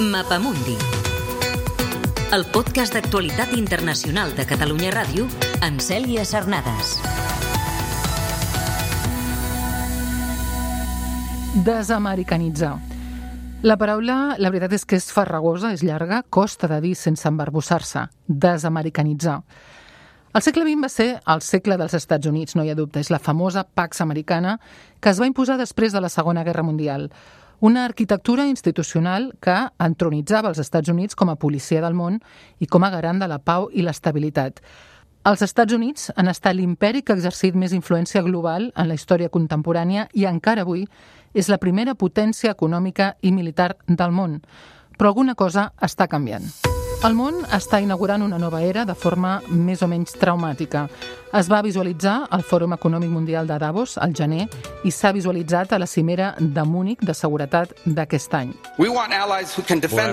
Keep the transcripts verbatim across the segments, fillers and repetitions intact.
Mapamundi, el podcast d'actualitat internacional de Catalunya Ràdio amb Cèlia Sarnades. Desamericanitzar. La paraula, la veritat és que és farragosa, és llarga, costa de dir sense embarbussar-se. Desamericanitzar. El segle vint va ser el segle dels Estats Units, no hi ha dubte. És la famosa Pax Americana que es va imposar després de la Segona Guerra Mundial. Una arquitectura institucional que entronitzava els Estats Units com a policia del món i com a garant de la pau i l'estabilitat. Els Estats Units han estat l'imperi que ha exercit més influència global en la història contemporània i encara avui és la primera potència econòmica i militar del món. Però alguna cosa està canviant. El món està inaugurant una nova era de forma més o menys traumàtica. Es va visualitzar al Fòrum Econòmic Mundial de Davos al gener i s'ha visualitzat a la cimera de Múnich de seguretat d'aquest any. Volem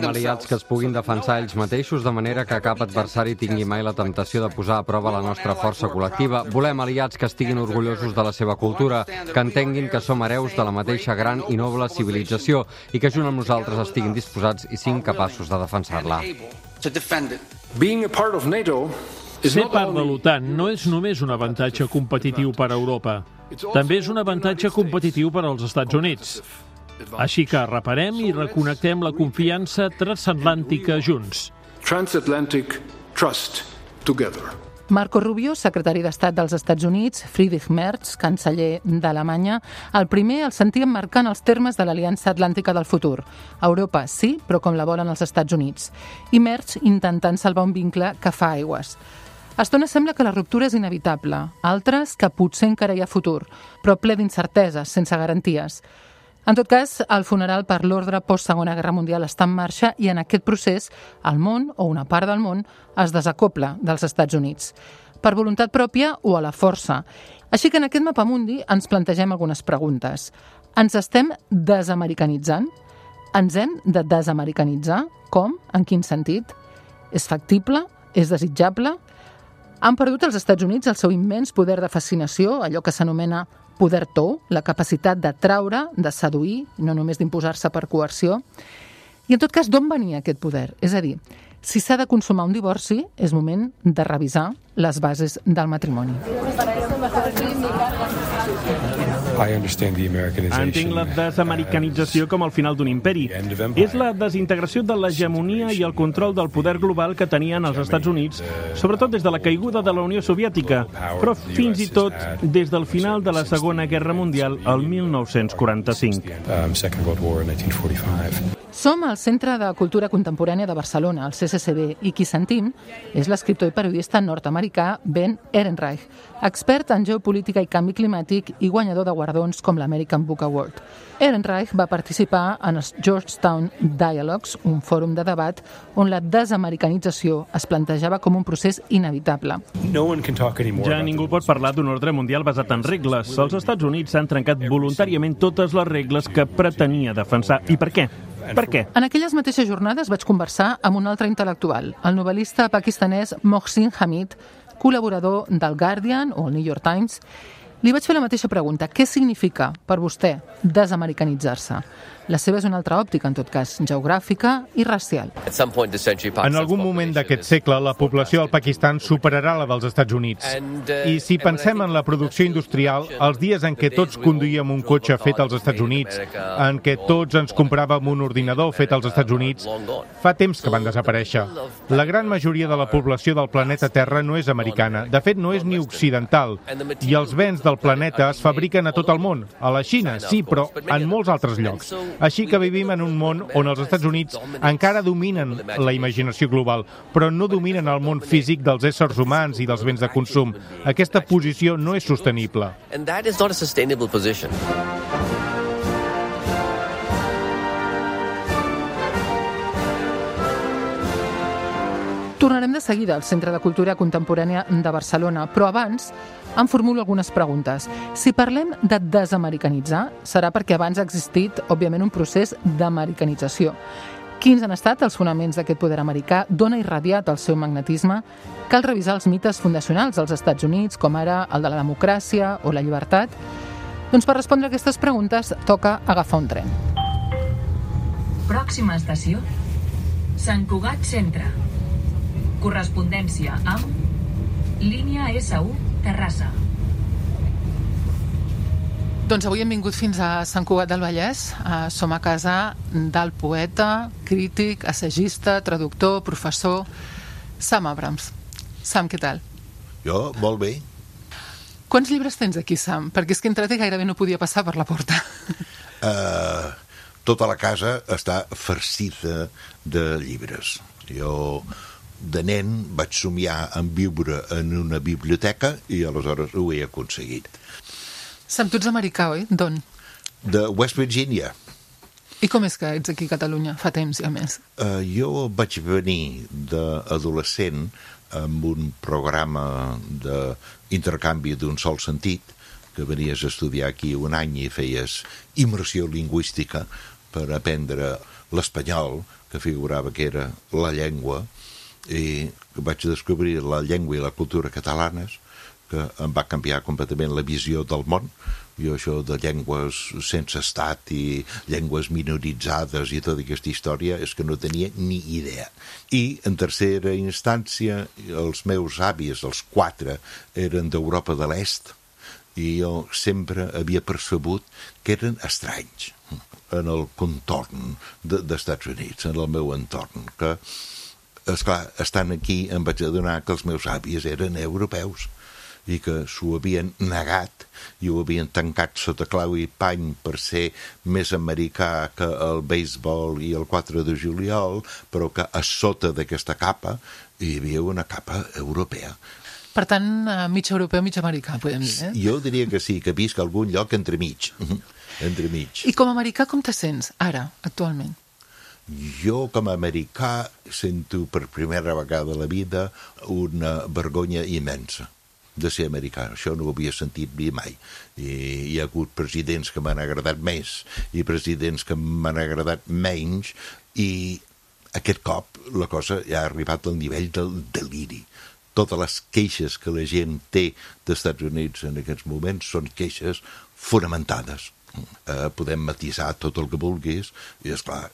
aliats que es puguin defensar ells mateixos de manera que cap adversari tingui mai la temptació de posar a prova la nostra força col·lectiva. Volem aliats que estiguin orgullosos de la seva cultura, que entenguin que som hereus de la mateixa gran i noble civilització i que junt amb nosaltres estiguin disposats i siguin capaços de defensar-la. Ser part de l'OTAN no és només un avantatge competitiu per a Europa, també és un avantatge competitiu per als Estats Units. Així que reparem i reconnectem la confiança transatlàntica junts. Transatlantic trust together. Marco Rubio, secretari d'Estat dels Estats Units, Friedrich Merz, canceller d'Alemanya, el primer el sentia marcant els termes de l'Aliança Atlàntica del futur. Europa sí, però com la volen els Estats Units. I Merz intentant salvar un vincle que fa aigües. A estona sembla que la ruptura és inevitable, altres que potser encara hi ha futur, però ple d'incerteses, sense garanties. En tot cas, el funeral per l'ordre post-Segona Guerra Mundial està en marxa i en aquest procés el món, o una part del món, es desacopla dels Estats Units. Per voluntat pròpia o a la força. Així que en aquest Mapamundi ens plantegem algunes preguntes. Ens estem desamericanitzant? Ens hem de desamericanitzar? Com? En quin sentit? És factible? És desitjable? Han perdut els Estats Units el seu immens poder de fascinació, allò que s'anomena poder tou, la capacitat d'atraure, de seduir, no només d'imposar-se per coerció. I en tot cas, d'on venia aquest poder? És a dir, si s'ha de consumar un divorci, és moment de revisar les bases del matrimoni. Entenc la desamericanització com el final d'un imperi. És la desintegració de l'hegemonia i el control del poder global que tenien els Estats Units, sobretot des de la caiguda de la Unió Soviètica, però fins i tot des del final de la Segona Guerra Mundial el mil nou-cents quaranta-cinc. Som al Centre de Cultura Contemporània de Barcelona, el C C C B, i qui sentim és l'escriptor i periodista nord-americà Ben Ehrenreich, expert en geopolítica i canvi climàtic i guanyador de guardons com l'American Book Award. Ehrenreich va participar en els Georgetown Dialogues, un fòrum de debat on la desamericanització es plantejava com un procés inevitable. Ja ningú pot parlar d'un ordre mundial basat en regles. Els Estats Units han trencat voluntàriament totes les regles que pretenia defensar. I per què? Per què? En aquelles mateixes jornades vaig conversar amb un altre intel·lectual, el novel·lista pakistanès Mohsin Hamid, col·laborador del Guardian o el New York Times. Li vaig fer la mateixa pregunta. Què significa per vostè desamericanitzar-se? La seva és una altra òptica, en tot cas, geogràfica i racial. En algun moment d'aquest segle, la població del Pakistan superarà la dels Estats Units. I si pensem en la producció industrial, els dies en què tots conduïem un cotxe fet als Estats Units, en què tots ens compràvem un ordinador fet als Estats Units, fa temps que van desaparèixer. La gran majoria de la població del planeta Terra no és americana, de fet no és ni occidental, i els béns del planeta es fabriquen a tot el món. A la Xina, sí, però en molts altres llocs. Així que vivim en un món on els Estats Units encara dominen la imaginació global, però no dominen el món físic dels éssers humans i dels béns de consum. Aquesta posició no és sostenible. Tornarem de seguida al Centre de Cultura Contemporània de Barcelona, però abans em formulo algunes preguntes. Si parlem de desamericanitzar, serà perquè abans ha existit, òbviament, un procés d'americanització. Quins han estat els fonaments d'aquest poder americà? D'on ha irradiat el seu magnetisme? Cal revisar els mites fundacionals dels Estats Units, com ara el de la democràcia o la llibertat? Doncs per respondre a aquestes preguntes toca agafar un tren. Pròxima estació, Sant Cugat Centre. Correspondència amb línia essa u Terrassa. Doncs avui hem vingut fins a Sant Cugat del Vallès. Uh, som a casa del poeta, crític, assagista, traductor, professor, Sam Abrams. Sam, què tal? Jo, molt bé. Quants llibres tens aquí, Sam? Perquè és que he entrat i gairebé no podia passar per la porta. Uh, tota la casa està farcida de llibres. Jo, de nen, vaig somiar en viure en una biblioteca i aleshores ho he aconseguit. Sam, tu ets americà, oi? D'on? De West Virginia. I com és que ets aquí a Catalunya? Fa temps, ja més. Uh, jo vaig venir d'adolescent amb un programa d'intercanvi d'un sol sentit, que venies a estudiar aquí un any i feies immersió lingüística per aprendre l'espanyol, que figurava que era la llengua, i vaig descobrir la llengua i la cultura catalanes, que em va canviar completament la visió del món. Jo això de llengües sense estat i llengües minoritzades i tota aquesta història és que no tenia ni idea. I en tercera instància els meus avis, els quatre, eren d'Europa de l'Est i jo sempre havia percebut que eren estranys en el contorn de, d'Estats Units, en el meu entorn, que, esclar, estant aquí em vaig adonar que els meus avis eren europeus i que s'ho havien negat i ho havien tancat sota clau i pany per ser més americà que el béisbol i el quatre de juliol, però que a sota d'aquesta capa hi havia una capa europea. Per tant, mig europeu, mig americà, podem dir, eh? Jo diria que sí, que visc a algun lloc entremig. entremig. I com a americà com te sents, ara, actualment? Jo, com a americà, sento per primera vegada a la vida una vergonya immensa de ser americà. Això no ho havia sentit ni mai. I hi ha hagut presidents que m'han agradat més i presidents que m'han agradat menys i aquest cop la cosa ja ha arribat al nivell del deliri. Totes les queixes que la gent té dels Estats Units en aquests moments són queixes fonamentades. Eh, podem matisar tot el que vulguis i, esclar,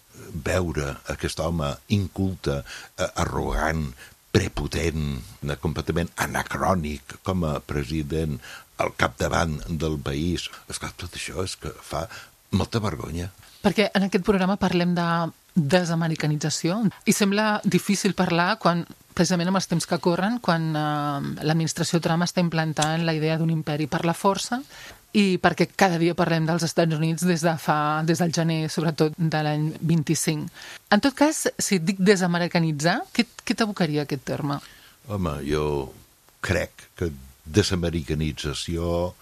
veure aquest home inculte, eh, arrogant, prepotent, completament anacrònic com a president al capdavant del país. Esclar, tot això és que fa molta vergonya. Perquè en aquest programa parlem de desamericanització i sembla difícil parlar quan, precisament amb els temps que corren, quan eh, l'administració Trump està implantant la idea d'un imperi per la força i perquè cada dia parlem dels Estats Units des de fa, des del gener, sobretot de l'any vint-i-cinc. En tot cas, si et dic desamericanitzar, què, què t'evocaria aquest terme? Home, jo crec que desamericanització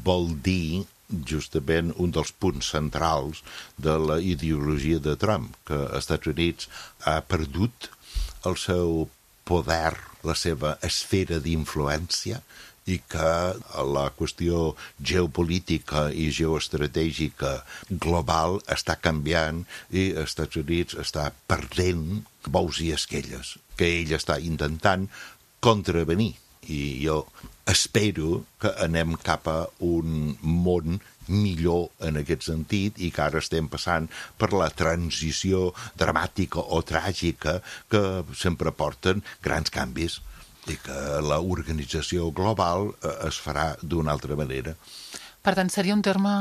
vol dir justament un dels punts centrals de la ideologia de Trump, que els Estats Units ha perdut el seu poder, la seva esfera d'influència, i que la qüestió geopolítica i geoestratègica global està canviant i els Estats Units està perdent bous i esquelles, que ell està intentant contravenir. I jo espero que anem cap a un món millor en aquest sentit i que ara estem passant per la transició dramàtica o tràgica que sempre porten grans canvis i que l'organització global es farà d'una altra manera. Per tant, seria un terme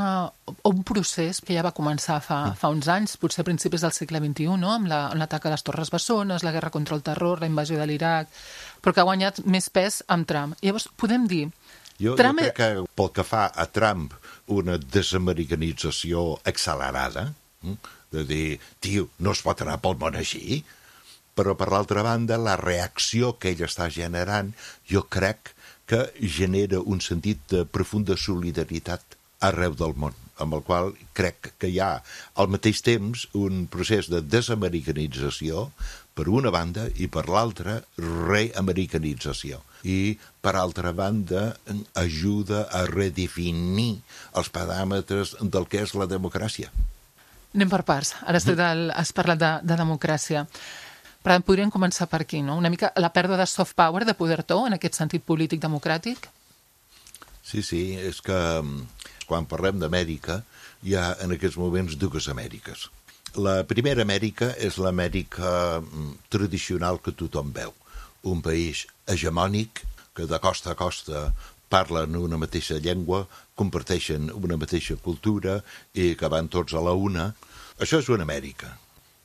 o un procés que ja va començar fa, fa uns anys, potser a principis del segle vint-i-u, no? Amb l'atac a les Torres Bessones, la guerra contra el terror, la invasió de l'Iraq, però que ha guanyat més pes amb Trump. Llavors, podem dir... Jo, Trump... jo crec que pel que fa a Trump, una desamericanització accelerada, de dir, tio, no es pot anar pel món així, però per l'altra banda, la reacció que ell està generant, jo crec que genera un sentit de profunda solidaritat arreu del món, amb el qual crec que hi ha al mateix temps un procés de desamericanització per una banda i per l'altra reamericanització. I per altra banda ajuda a redefinir els paràmetres del que és la democràcia. Anem per parts. Ara has parlat de, de democràcia. Per tant, podríem començar per aquí, no? Una mica la pèrdua de soft power, de poder to, en aquest sentit polític democràtic? Sí, sí, és que quan parlem d'Amèrica hi ha en aquests moments dues Amèriques. La primera Amèrica és l'Amèrica tradicional que tothom veu. Un país hegemònic que de costa a costa parlen una mateixa llengua, comparteixen una mateixa cultura i que van tots a la una. Això és una Amèrica.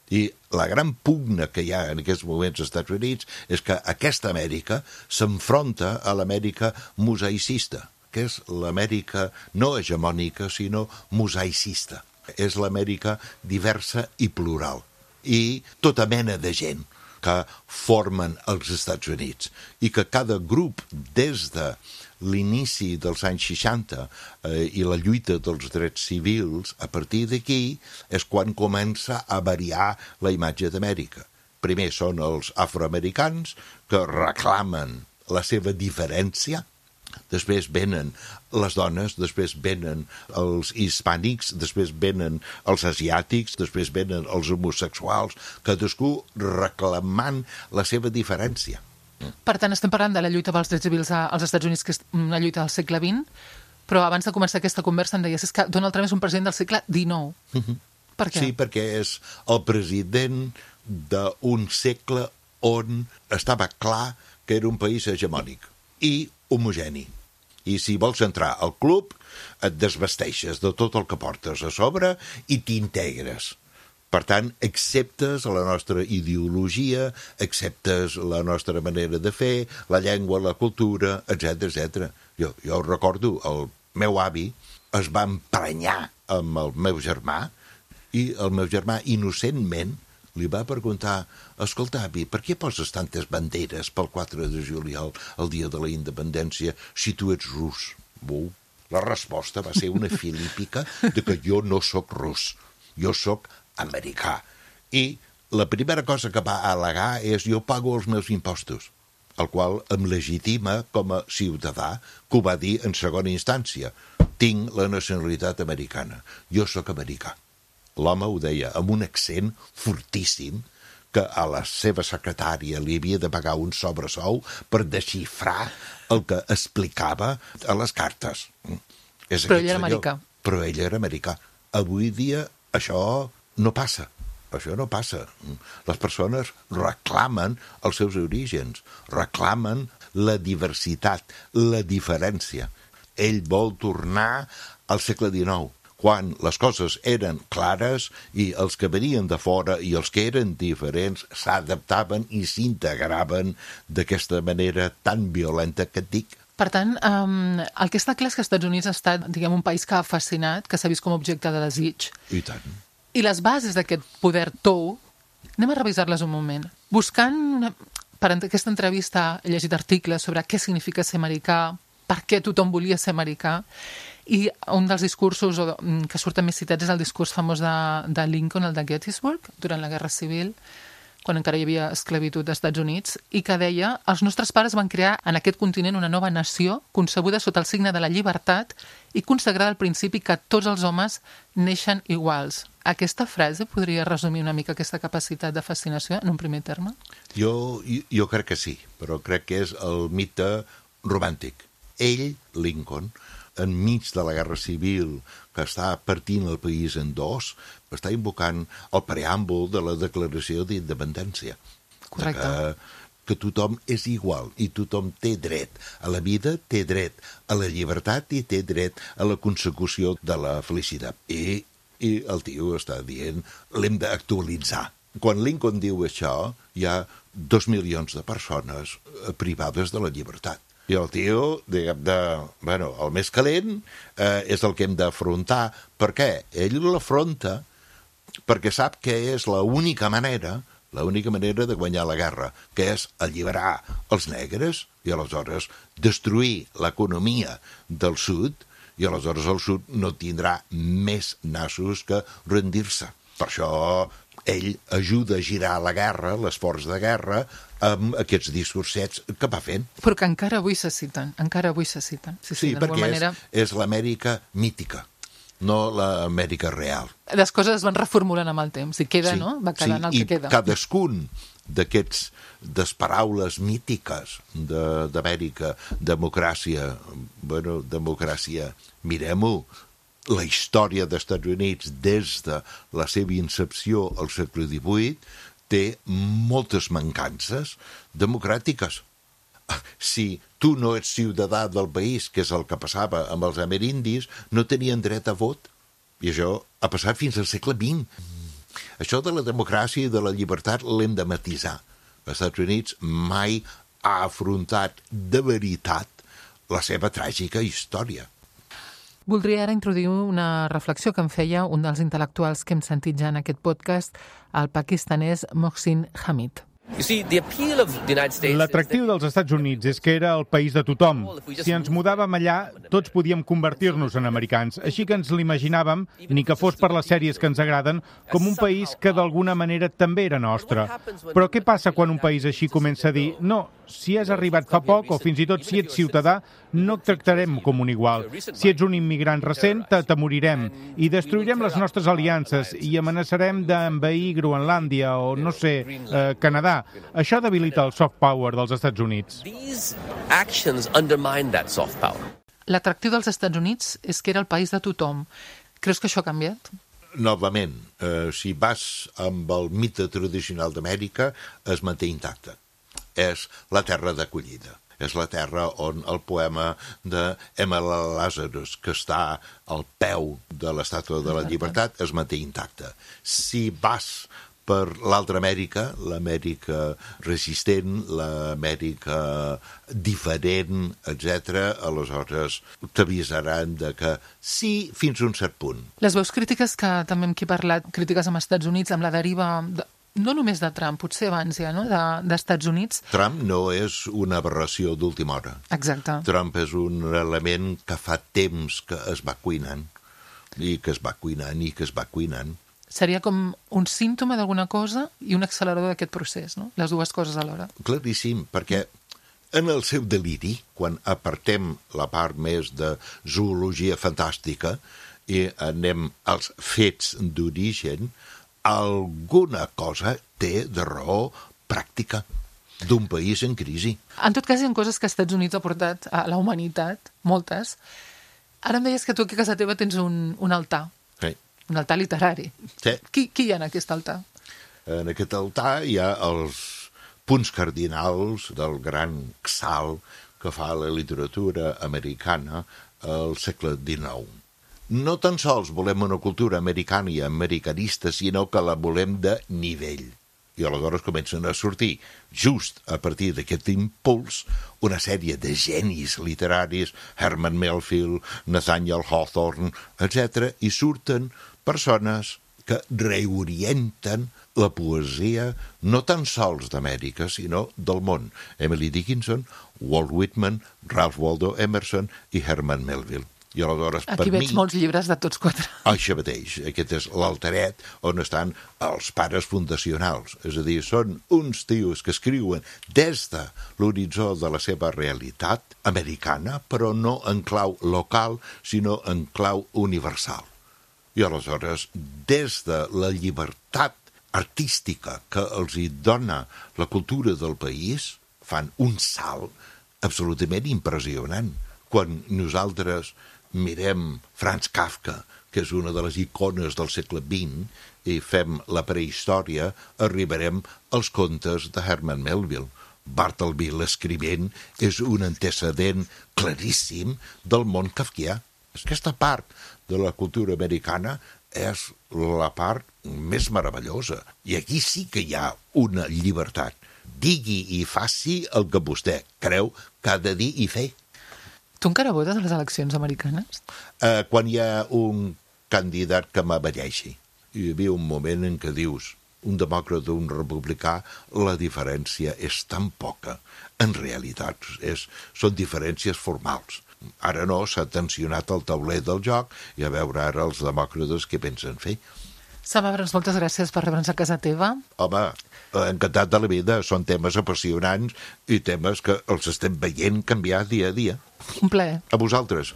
I la gran pugna que hi ha en aquests moments als Estats Units és que aquesta Amèrica s'enfronta a l'Amèrica mosaicista, que és l'Amèrica no hegemònica, sinó mosaicista. És l'Amèrica diversa i plural. I tota mena de gent que formen els Estats Units i que cada grup des de l'inici dels anys seixanta eh, i la lluita dels drets civils, a partir d'aquí és quan comença a variar la imatge d'Amèrica. Primer són els afroamericans que reclamen la seva diferència, després venen les dones, després venen els hispànics, després venen els asiàtics, després venen els homosexuals, cadascú reclamant la seva diferència. Per tant, estem parlant de la lluita pels drets civils als Estats Units, que és una lluita del segle vint, però abans de començar aquesta conversa em deies que Donald Trump és un president del segle dinou. Mm-hmm. Per què? Sí, perquè és el president d'un segle on estava clar que era un país hegemònic i homogeni. I si vols entrar al club, et desvesteixes de tot el que portes a sobre i t'integres. Per tant, acceptes la nostra ideologia, acceptes la nostra manera de fer, la llengua, la cultura, etcètera, etcètera. Jo, jo recordo, el meu avi es va emprenyar amb el meu germà i el meu germà, innocentment, li va preguntar: escolta, avi, per què poses tantes banderes pel quatre de juliol, el dia de la independència, si tu ets rus? Bú. La resposta va ser una filípica de que jo no sóc rus, jo sóc americà. I la primera cosa que va al·legar és: jo pago els meus impostos, el qual em legitima com a ciutadà, que ho va dir en segona instància. Tinc la nacionalitat americana, jo sóc americà. L'home ho deia amb un accent fortíssim, que a la seva secretària li havia de pagar un sobresou per desxifrar el que explicava a les cartes. És Però ell era americà. Però ell era americà. Avui dia això no passa. Això no passa. Les persones reclamen els seus orígens, reclamen la diversitat, la diferència. Ell vol tornar al segle dinou, quan les coses eren clares i els que venien de fora i els que eren diferents s'adaptaven i s'integraven d'aquesta manera tan violenta que et dic. Per tant, um, el que està clar és que els Estats Units ha estat, diguem, un país que ha fascinat, que s'ha vist com a objecte de desig. I tant. I les bases d'aquest poder tou, anem a revisar-les un moment. Buscant, una... per aquesta entrevista he llegit articles sobre què significa ser americà, per què tothom volia ser americà, i un dels discursos que surten més citats és el discurs famós de, de Lincoln, el de Gettysburg, durant la Guerra Civil, quan encara hi havia esclavitud als Estats Units, i que deia: els nostres pares van crear en aquest continent una nova nació concebuda sota el signe de la llibertat i consagrada al principi que tots els homes neixen iguals. Aquesta frase podria resumir una mica aquesta capacitat de fascinació en un primer terme? Jo, jo, jo crec que sí, però crec que és el mite romàntic. Ell, Lincoln, enmig de la Guerra Civil, que està partint el país en dos, està invocant el preàmbul de la Declaració d'Independència. Correcte. Que, que tothom és igual i tothom té dret a la vida, té dret a la llibertat i té dret a la consecució de la felicitat. I, i el tio està dient: l'hem d'actualitzar. Quan Lincoln diu això, hi ha dos milions de persones privades de la llibertat. I el tio, diguem, de, bueno, el més calent eh, és el que hem d'afrontar. Per què? Ell l'afronta perquè sap que és l'única manera, l'única manera de guanyar la guerra, que és alliberar els negres i aleshores destruir l'economia del sud, i aleshores el sud no tindrà més nassos que rendir-se. Per això ell ajuda a girar la guerra, l'esforç de guerra, amb aquests discursets que va fent. Però que encara avui se citen, encara avui se citen. Sí, sí, sí perquè manera... és, és l'Amèrica mítica, no l'Amèrica real. Les coses es van reformulant amb el temps, i queda, sí, no? Va quedant sí, el que queda. I cadascun d'aquests des paraules mítiques d'Amèrica, democràcia, bueno, democràcia, mirem-ho, la història dels Estats Units des de la seva incepció al segle divuit té moltes mancances democràtiques. Si tu no ets ciutadà del país, que és el que passava amb els amerindis, no tenien dret a vot. I això ha passat fins al segle vint. Això de la democràcia i de la llibertat l'hem de matisar. Els Estats Units mai ha afrontat de veritat la seva tràgica història. Voldria ara introduir una reflexió que em feia un dels intel·lectuals que hem sentit ja en aquest podcast, el pakistanès Mohsin Hamid. L'atractiu dels Estats Units és que era el país de tothom. Si ens mudàvem allà, tots podíem convertir-nos en americans, així que ens l'imaginàvem, ni que fos per les sèries que ens agraden, com un país que d'alguna manera també era nostre. Però què passa quan un país així comença a dir no, si has arribat fa poc o fins i tot si ets ciutadà, no et tractarem com un igual. Si ets un immigrant recent, t'atemorirem i destruirem les nostres aliances i amenaçarem d'envair Groenlàndia o, no sé, eh, Canadà. Això debilita el soft power dels Estats Units. L'atractiu dels Estats Units és que era el país de tothom. Creus que això ha canviat? Novament, eh, si vas amb el mite tradicional d'Amèrica, es manté intacte. És la terra d'acollida. És la terra on el poema d'Emma Lazarus, que està al peu de l'Estàtua de la Llibertat, es manté intacte. Si vas per l'altra Amèrica, l'Amèrica resistent, l'Amèrica diferent, etcètera, aleshores t'avisaran de que sí, fins a un cert punt. Les veus crítiques que també hem aquí parlat, crítiques amb Estats Units, amb la deriva, de, no només de Trump, potser abans ja, no?, d'Estats de, Units. Trump no és una aberració d'última hora. Exacte. Trump és un element que fa temps que es va cuinant, i que es va cuinant, i que es va cuinant. Seria com un símptoma d'alguna cosa i un accelerador d'aquest procés, no? Les dues coses alhora. Claríssim, perquè en el seu deliri, quan apartem la part més de zoologia fantàstica i anem als fets d'origen, alguna cosa té de raó pràctica d'un país en crisi. En tot cas, hi ha coses que els Estats Units ha portat a la humanitat, moltes. Ara em deies que tu aquí a casa teva tens un, un altar. Sí. Un altar literari. Sí. Qui, qui hi ha en aquest altar? En aquest altar hi ha els punts cardinals del gran salt que fa la literatura americana al segle dinou. No tan sols volem una cultura americana i americanista, sinó que la volem de nivell. I aleshores comencen a sortir, just a partir d'aquest impuls, una sèrie de genis literaris, Herman Melville, Nathaniel Hawthorne, etcètera, i surten persones que reorienten la poesia no tan sols d'Amèrica, sinó del món. Emily Dickinson, Walt Whitman, Ralph Waldo Emerson i Herman Melville. I aleshores, aquí per veig mi, molts llibres de tots quatre. Això mateix. Aquest és l'altaret on estan els pares fundacionals. És a dir, són uns tios que escriuen des de l'horitzó de la seva realitat americana, però no en clau local, sinó en clau universal. I aleshores, des de la llibertat artística que els hi dona la cultura del país, fan un salt absolutament impressionant. Quan nosaltres mirem Franz Kafka, que és una de les icones del segle vint, i fem la prehistòria, arribarem als contes de Herman Melville. Bartleby, l'escrivent, és un antecedent claríssim del món kafkià. Aquesta part de la cultura americana és la part més meravellosa. I aquí sí que hi ha una llibertat. Digui i faci el que vostè creu que ha de dir i fer. Tu encara votes a les eleccions americanes? Eh, quan hi ha un candidat que m'avareixi. Hi havia un moment en què dius, un demòcrata o un republicà, la diferència és tan poca. En realitat, és, són diferències formals. Ara no, s'ha tensionat el tauler del joc i a veure ara els demòcrates què pensen fer. Sam Abrams, moltes gràcies per rebre'ns a casa teva. Home, encantat de la vida. Són temes apassionants i temes que els estem veient canviar dia a dia. Un plaer. A vosaltres.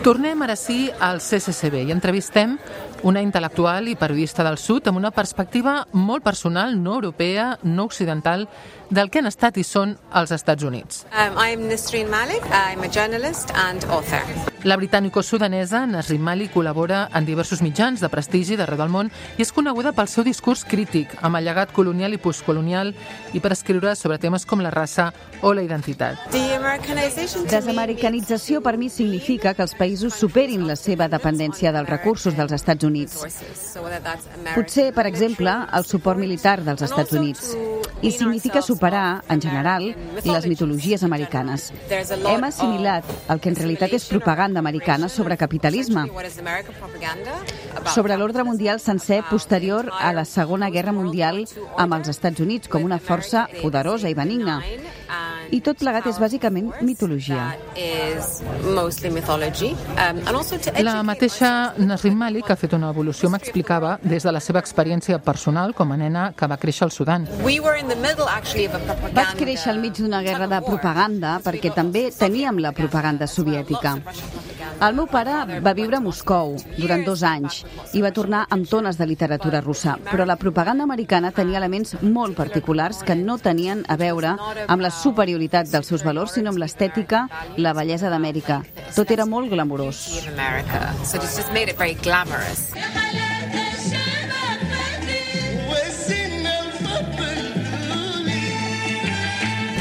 Tornem ara sí al C C C B i entrevistem una intel·lectual i periodista del sud amb una perspectiva molt personal, no europea, no occidental, del que han estat i són els Estats Units. Um, I'm Nasreen Malik. I'm a journalist and author. La britànico-sudanesa Nasrin Malik col·labora en diversos mitjans de prestigi d'arreu del món i és coneguda pel seu discurs crític, amb el llegat colonial i postcolonial i per escriure sobre temes com la raça o la identitat. Desamericanització per mi significa que els països superin la seva dependència dels recursos dels Estats Units. Potser, per exemple, el suport militar dels Estats Units. I significa superar, en general, les mitologies americanes. Hem assimilat el que en realitat és propaganda americana sobre capitalisme, sobre l'ordre mundial sencer posterior a la Segona Guerra Mundial amb els Estats Units com una força poderosa i benigna. I tot plegat és bàsicament mitologia. La mateixa Nasrin Malik ha fet una evolució, m'explicava, des de la seva experiència personal com a nena que va créixer al Sudan. Vaig créixer al mig d'una guerra de propaganda perquè també teníem la propaganda soviètica. El meu pare va viure a Moscou durant dos anys i va tornar amb tones de literatura russa, però la propaganda americana tenia elements molt particulars que no tenien a veure amb la superioritat dels seus valors, sinó amb l'estètica, la bellesa d'Amèrica. Tot era molt glamurós.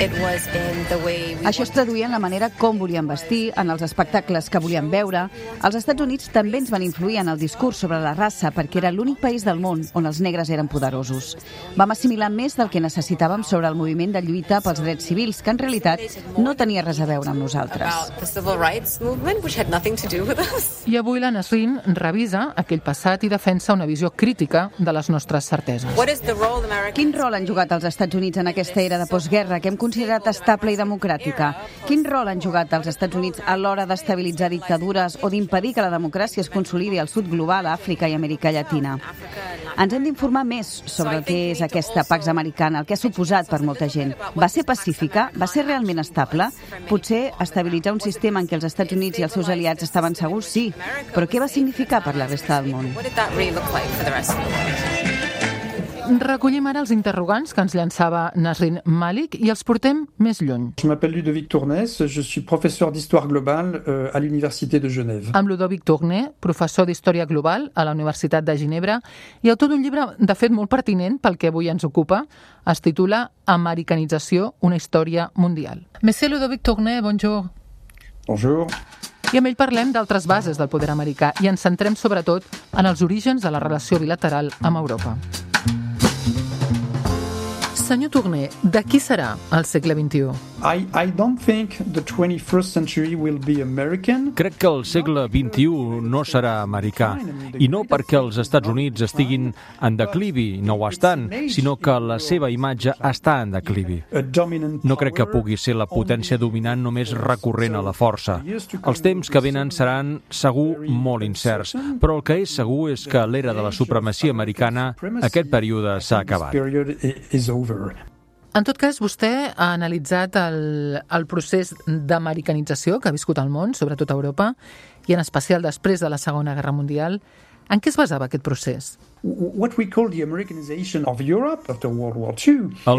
Això es traduïa en la manera com volien vestir, en els espectacles que volien veure. Els Estats Units també ens van influir en el discurs sobre la raça perquè era l'únic país del món on els negres eren poderosos. Vam assimilar més del que necessitàvem sobre el moviment de lluita pels drets civils, que en realitat no tenia res a veure amb nosaltres. I avui la Nasrin revisa aquell passat i defensa una visió crítica de les nostres certeses. Quin rol han jugat els Estats Units en aquesta era de postguerra que hem considerat estable i democràtica? Quin rol han jugat els Estats Units a l'hora d'estabilitzar dictadures o d'impedir que la democràcia es consolidi al sud global, a Àfrica i Amèrica Llatina? Ens hem d'informar més sobre el que és aquesta Pax Americana, el que ha suposat per molta gent. Va ser pacífica? Va ser realment estable? Potser estabilitzar un sistema en què els Estats Units i els seus aliats estaven segurs, sí, però què va significar per la resta del món? Recollim ara els interrogants que ens llançava Nasrin Malik i els portem més lluny. Je m'appelle Ludovic Tournès, je suis professeur d'histoire globale euh, à l'Université de Genève. Amb Ludovic Tournès, professor d'Història Global a la Universitat de Ginebra i autor d'un llibre, de fet, molt pertinent pel que avui ens ocupa. Es titula Americanització, una història mundial. Monsieur Ludovic Tournès, bonjour. Bonjour. I amb ell parlem d'altres bases del poder americà i ens centrem sobretot en els orígens de la relació bilateral amb Europa. Senyor Tournès, de qui serà el segle vint-i-u? I, I don't think the twenty-first century will be American. Crec que el segle vint-i-u no serà americà, i no perquè els Estats Units estiguin en declivi, no ho estan, sinó que la seva imatge està en declivi. No crec que pugui ser la potència dominant només recorrent a la força. Els temps que venen seran segur molt incerts, però el que és segur és que l'era de la supremacia americana, aquest període s'ha acabat. En tot cas, vostè ha analitzat el, el procés d'americanització que ha viscut el món, sobretot a Europa, i en especial després de la Segona Guerra Mundial. En què es basava aquest procés? El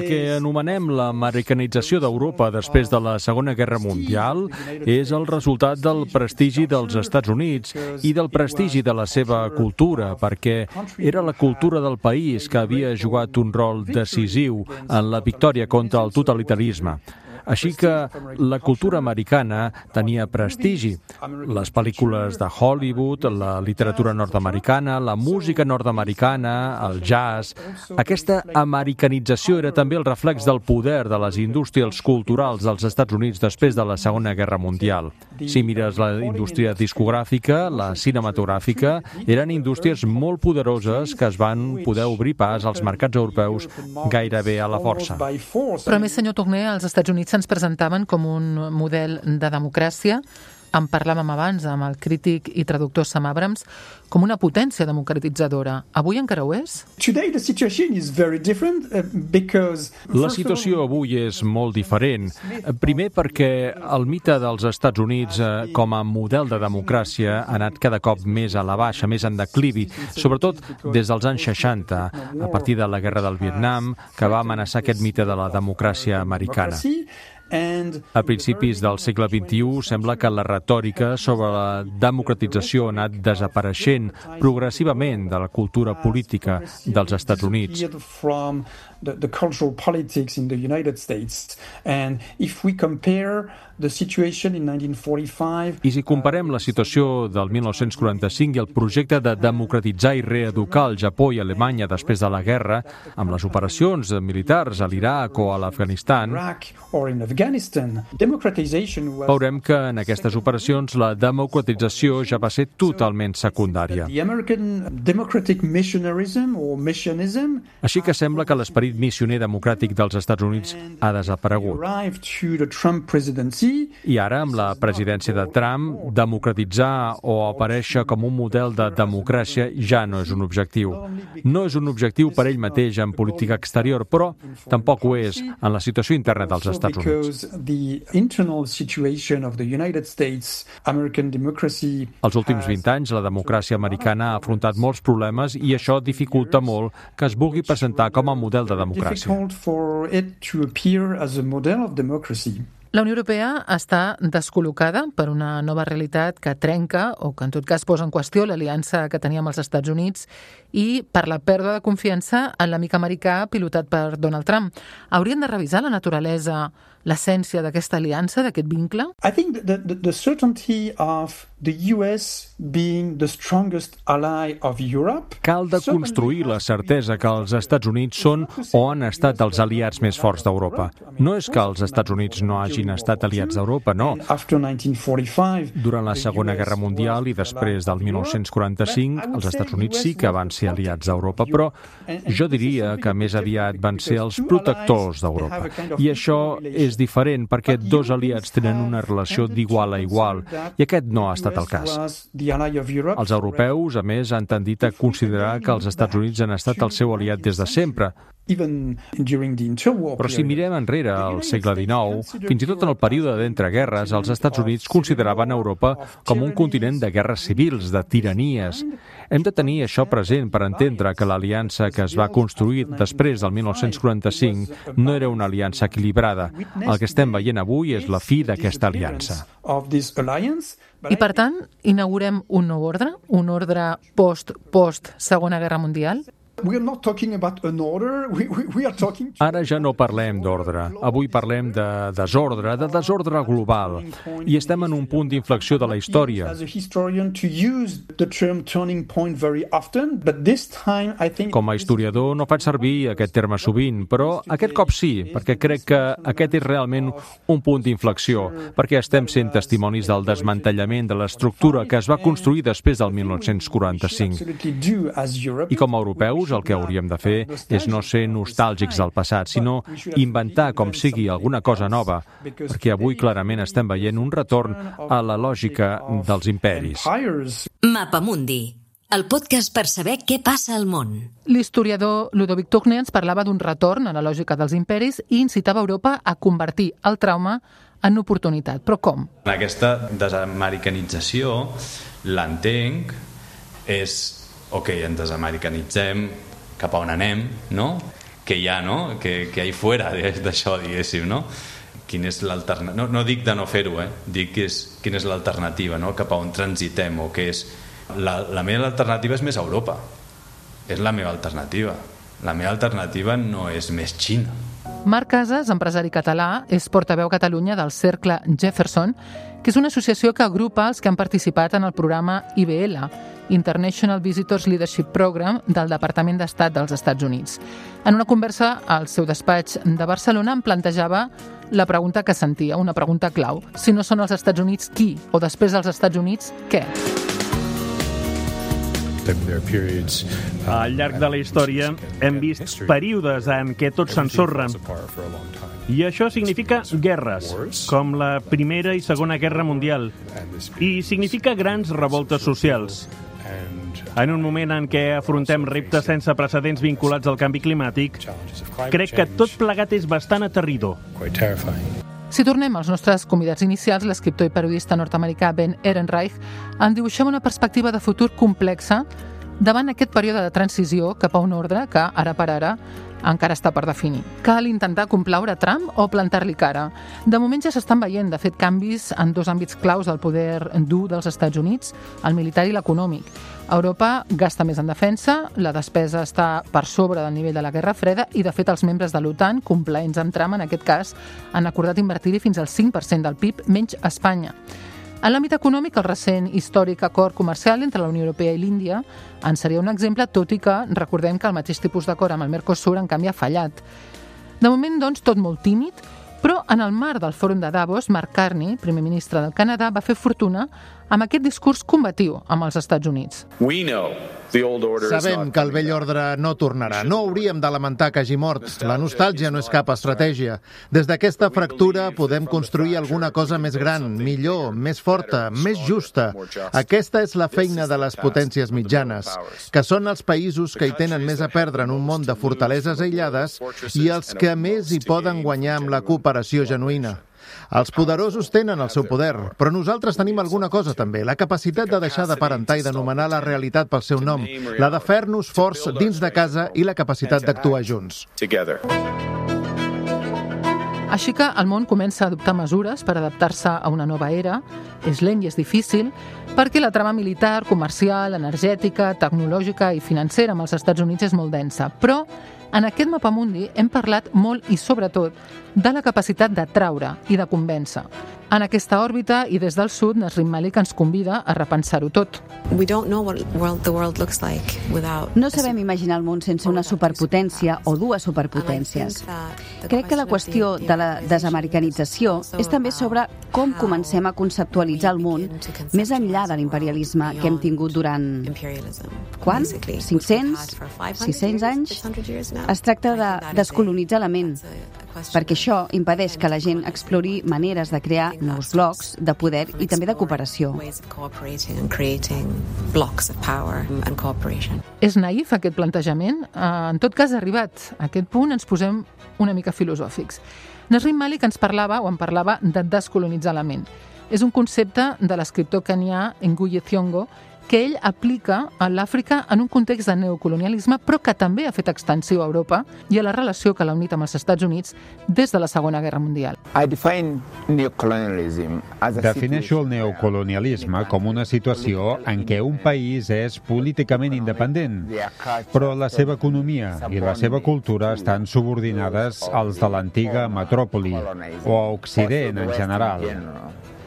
que anomenem l'americanització d'Europa després de la Segona Guerra Mundial és el resultat del prestigi dels Estats Units i del prestigi de la seva cultura, perquè era la cultura del país que havia jugat un rol decisiu en la victòria contra el totalitarisme. Així que la cultura americana tenia prestigi. Les pel·lícules de Hollywood, la literatura nord-americana, la música nord-americana, el jazz... Aquesta americanització era també el reflex del poder de les indústries culturals dels Estats Units després de la Segona Guerra Mundial. Si mires la indústria discogràfica, la cinematogràfica, eren indústries molt poderoses que es van poder obrir pas als mercats europeus gairebé a la força. Però a més, senyor Tournès, als Estats Units ens presentaven com un model de democràcia, en parlàvem abans amb el crític i traductor Sam Abrams, com una potència democratitzadora. Avui encara ho és? La situació avui és molt diferent. Primer perquè el mite dels Estats Units com a model de democràcia ha anat cada cop més a la baixa, més en declivi, sobretot des dels anys seixanta, a partir de la Guerra del Vietnam, que va amenaçar aquest mite de la democràcia americana. A principis del segle vint-i-u sembla que la retòrica sobre la democratització ha anat desapareixent progressivament de la cultura política dels Estats Units. The, the cultural politics in the United States. And if we compare the situation in nineteen forty-five... I si comparem la situació del mil nou-cents quaranta-cinc i el projecte de democratitzar i reeducar el Japó i Alemanya després de la guerra, amb les operacions militars a l'Iraq o a l'Afganistan, veurem que en aquestes operacions la democratització ja va ser totalment secundària. Així que sembla que l'esperit missioner democràtic dels Estats Units ha desaparegut. I ara, amb la presidència de Trump, democratitzar o aparèixer com un model de democràcia ja no és un objectiu. No és un objectiu per ell mateix en política exterior, però tampoc ho és en la situació interna dels Estats Units. Els últims vint anys, la democràcia americana ha afrontat molts problemes i això dificulta molt que es vulgui presentar com a model de democràcia. La Unió Europea està descol·locada per una nova realitat que trenca o que en tot cas posa en qüestió l'aliança que tenia amb els Estats Units i per la pèrdua de confiança en l'amic americà pilotat per Donald Trump. Haurien de revisar la naturalesa, l'essència d'aquesta aliança, d'aquest vincle? I think the, the, the certainty of the U S being the strongest ally of Europe... Cal de construir la certesa que els Estats Units són o han estat els aliats més forts d'Europa. No és que els Estats Units no hagin estat aliats d'Europa, no. Durant la Segona Guerra Mundial i després del mil nou-cents quaranta-cinc, els Estats Units sí que van ser aliats d'Europa, però jo diria que més aviat van ser els protectors d'Europa. I això és diferent perquè dos aliats tenen una relació d'igual a igual i aquest no ha estat el cas. Els europeus, a més, han tendit a considerar que els Estats Units han estat el seu aliat des de sempre. Però si mirem enrere al segle dinou, fins i tot en el període d'entreguerres, els Estats Units consideraven Europa com un continent de guerres civils, de tiranies. Hem de tenir això present per entendre que l'aliança que es va construir després del mil nou-cents quaranta-cinc no era una aliança equilibrada. El que estem veient avui és la fi d'aquesta aliança. I, per tant, inaugurem un nou ordre? Un ordre post-post-Segona Guerra Mundial? Ara ja no parlem d'ordre. Avui parlem de desordre, de desordre global. I estem en un punt d'inflexió de la història. Com a historiador no faig servir aquest terme sovint, però aquest cop sí, perquè crec que aquest és realment un punt d'inflexió, perquè estem sent testimonis del desmantellament de l'estructura que es va construir després del mil nou-cents quaranta-cinc. I com a europeus, el que hauríem de fer és no ser nostàlgics del passat, sinó inventar com sigui alguna cosa nova, perquè avui clarament estem veient un retorn a la lògica dels imperis. Mapamundi, el podcast per saber què passa al món. L'historiador Ludovic Tourné ens parlava d'un retorn a la lògica dels imperis i incitava Europa a convertir el trauma en oportunitat. Però com? Aquesta desamericanització, l'entenc, és ok, ens desamericanitzem, cap a on anem, no? Què hi ha, no? Què hi ha fora d'això, diguéssim, no? Quina és l'alternativa? No, no dic de no fer-ho, eh? Dic que és, quina és l'alternativa, no? Cap a on transitem, o què és... La, la meva alternativa és més Europa. És la meva alternativa. La meva alternativa no és més Xina. Marc Casas, empresari català, és portaveu a Catalunya del Cercle Jefferson, que és una associació que agrupa els que han participat en el programa I B L, International Visitors Leadership Program del Departament d'Estat dels Estats Units. En una conversa al seu despatx de Barcelona em plantejava la pregunta que sentia, una pregunta clau. Si no són els Estats Units, qui? O després dels Estats Units, què? Al llarg de la història hem vist períodes en què tot s'ensorra. I això significa guerres, com la Primera i Segona Guerra Mundial. I significa grans revoltes socials. En un moment en què afrontem reptes sense precedents vinculats al canvi climàtic, crec que tot plegat és bastant aterridor. Si tornem als nostres convidats inicials, l'escriptor i periodista nord-americà Ben Ehrenreich en dibuixem una perspectiva de futur complexa davant aquest període de transició cap a un ordre que, ara per ara, encara està per definir. Cal intentar complaure Trump o plantar-li cara? De moment ja s'estan veient, de fet, canvis en dos àmbits claus del poder dur dels Estats Units, el militar i l'econòmic. Europa gasta més en defensa, la despesa està per sobre del nivell de la Guerra Freda i, de fet, els membres de l'OTAN, complaents amb Trump en aquest cas, han acordat invertir-hi fins al cinc per cent del P I B, menys Espanya. En l'àmbit econòmic, el recent històric acord comercial entre la Unió Europea i l'Índia en seria un exemple, tot i que recordem que el mateix tipus d'acord amb el Mercosur en canvi ha fallat. De moment, doncs, tot molt tímid, però en el marc del fòrum de Davos, Mark Carney, primer ministre del Canadà, va fer fortuna amb aquest discurs combatiu amb els Estats Units. Sabem que el vell ordre no tornarà. No hauríem de lamentar que hagi mort. La nostàlgia no és cap estratègia. Des d'aquesta fractura podem construir alguna cosa més gran, millor, més forta, més justa. Aquesta és la feina de les potències mitjanes, que són els països que hi tenen més a perdre en un món de fortaleses aïllades i els que més hi poden guanyar amb la cooperació genuïna. Els poderosos tenen el seu poder, però nosaltres tenim alguna cosa també, la capacitat de deixar d'aparentar i d'anomenar la realitat pel seu nom, la de fer-nos forts dins de casa i la capacitat d'actuar junts. Així que el món comença a adoptar mesures per adaptar-se a una nova era. És lent i és difícil, perquè la trama militar, comercial, energètica, tecnològica i financera amb els Estats Units és molt densa. Però en aquest mapamundi hem parlat molt i sobretot de la capacitat d'atraure i de convèncer. En aquesta òrbita i des del sud, Nasrim Malik ens convida a repensar-ho tot. No sabem imaginar el món sense una superpotència o dues superpotències. Crec que la qüestió de la desamericanització és també sobre com comencem a conceptualitzar el món més enllà de l'imperialisme que hem tingut durant... Quan? cinc-cents? sis-cents anys? Es tracta de descolonitzar la ment, perquè això impedeix que la gent explori maneres de crear nous blocs de poder i també de cooperació. És naïf aquest plantejament? En tot cas, arribat a aquest punt, ens posem una mica filosòfics. Nasrim Malik ens parlava o en parlava de descolonitzar la ment. És un concepte de l'escriptor kenyà Ngugi Thiong'o que ell aplica a l'Àfrica en un context de neocolonialisme, però que també ha fet extensiu a Europa i a la relació que l'ha unit amb els Estats Units des de la Segona Guerra Mundial. Defineixo el neocolonialisme com una situació en què un país és políticament independent, però la seva economia i la seva cultura estan subordinades als de l'antiga metròpoli o a Occident en general.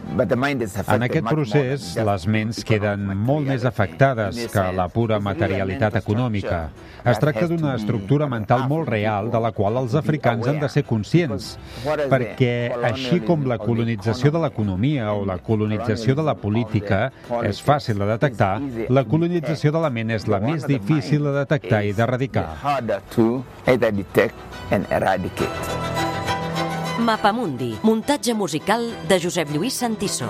En aquest procés, les ments queden molt més afectades que la pura materialitat econòmica. Es tracta d'una estructura mental molt real de la qual els africans han de ser conscients, perquè així com la colonització de l'economia o la colonització de la política és fàcil de detectar, la colonització de la ment és la més difícil de detectar i d'erradicar. Mapamundi, muntatge musical de Josep Lluís Santiso.